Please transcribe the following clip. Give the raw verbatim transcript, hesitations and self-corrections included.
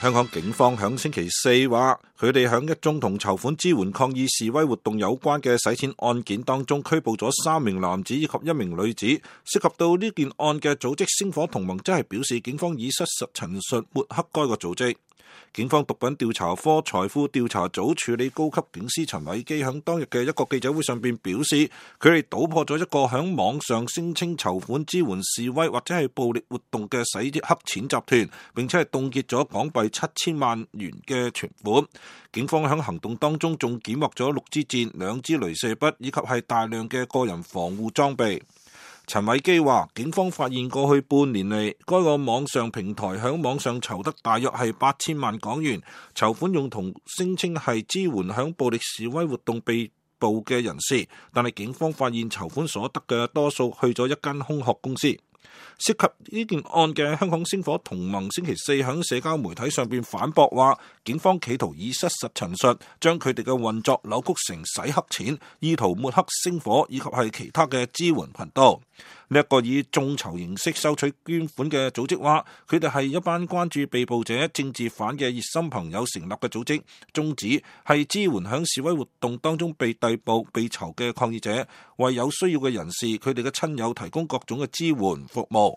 香港警方響星期四話，佢哋響一宗同籌款支援抗議示威活動有關嘅洗錢案件當中，拘捕咗三名男子以及一名女子。涉及到呢件案嘅組織星火同盟，即係表示警方以失實陳述抹黑該個組織。警方毒品調查科財富調查組處理高級警司陳偉基響當日嘅一個記者會上邊表示，佢哋搗破咗一個響網上聲稱籌款支援示威或者係暴力活動嘅洗黑錢集團，並且係凍結咗港幣七千萬元嘅存款。警方響行動當中仲檢獲咗六支箭、兩支鐳射筆以及係大量嘅個人防護裝備。陳偉基話，警方發現過去半年嚟，該個網上平台響網上籌得大約係八千萬港元，籌款用途聲稱係支援響暴力示威活動被捕嘅人士，但係警方發現籌款所得嘅多數去咗一間空殼公司。涉及呢件案嘅香港星火同盟星期四喺社交媒體上邊反駁話，警方企圖以失實陳述，將佢哋嘅運作扭曲成洗黑錢，意圖抹黑星火以及係其他嘅支援頻道。呢一個以眾籌形式收取捐款嘅組織話，佢哋係一班關注被捕者政治犯嘅熱心朋友成立嘅組織，宗旨係支援響示威活動當中被逮捕、被囚嘅抗議者，為有需要嘅人士佢哋嘅親友提供各種嘅支援服務。